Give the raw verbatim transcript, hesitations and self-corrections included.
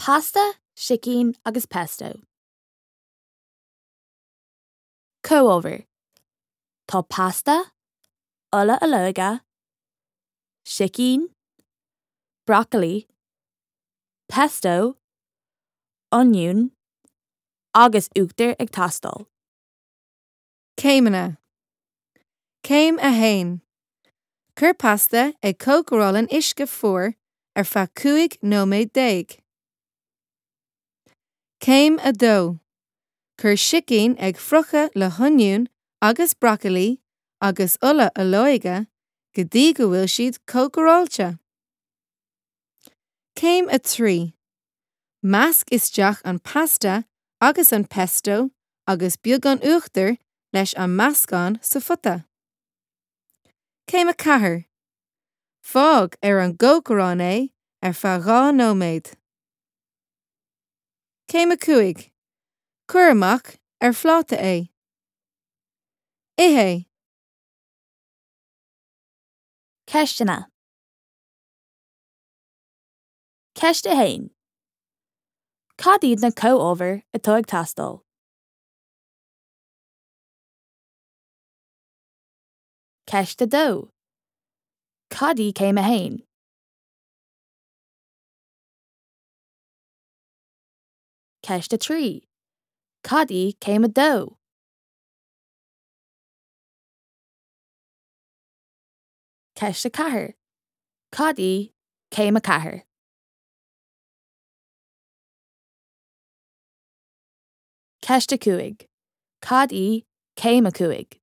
Pasta, sicín agus pesto. Comhábhair. Tá pasta, ola olóige, sicín, brocailí, pesto, oinniún agus uachtar ag teastáil. Céimeanna. Céim a haon. Cuir pasta ag cócaráil in uisce fuar ar feadh cúig nóiméad déag. Céim a dó. Cuir sicín ag friochadh le hoinniún agus brocailí agus ola olóige go dtí go bhfuil siad cócaráilte. Céim a trí. Measc isteach an pasta agus an pesto agus beagán uachtair leis an meascán sa phota. Céim a ceathair. Fág ar an gcócaireán é ar feadh dhá nóiméad. Céim a cúig. Cuir amach ar phláta é. Ith é. Ceisteanna. Ceist a haon. Cad iad na comhábhair atá ag teastáil? Ceist a dó. Cad í céim a haon? Ceist a trí. Cad í céim a dó? Ceist a ceathair. Cad í céim a ceathair? Ceist a cúig. Cad í céim a cúig?